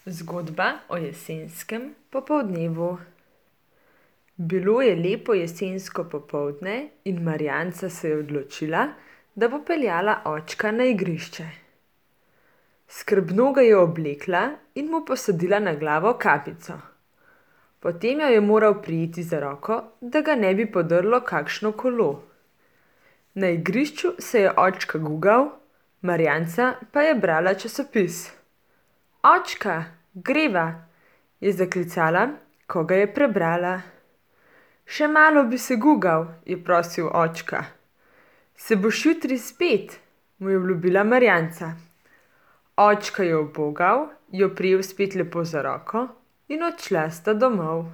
Zgodba o jesenskem popoldnevu. Bilo je lepo jesensko popoldne in Marjanca se je odločila, da bo peljala očka na igrišče. Skrbno ga je oblekla in mu posadila na glavo kapico. Potem jo je moral prijeti za roko, da ga ne bi podrlo kakšno kolo. Na igrišču se je očka gugal, Marjanca pa je brala časopis. Očka, greva, je zaklicala, ko ga je prebrala. Še malo bi se gugal, je prosil očka. Se boš jutri spet, mu je obljubila Marjanca. Očka je ubogal, jo prijel spet lepo za roko in odšla sta domov.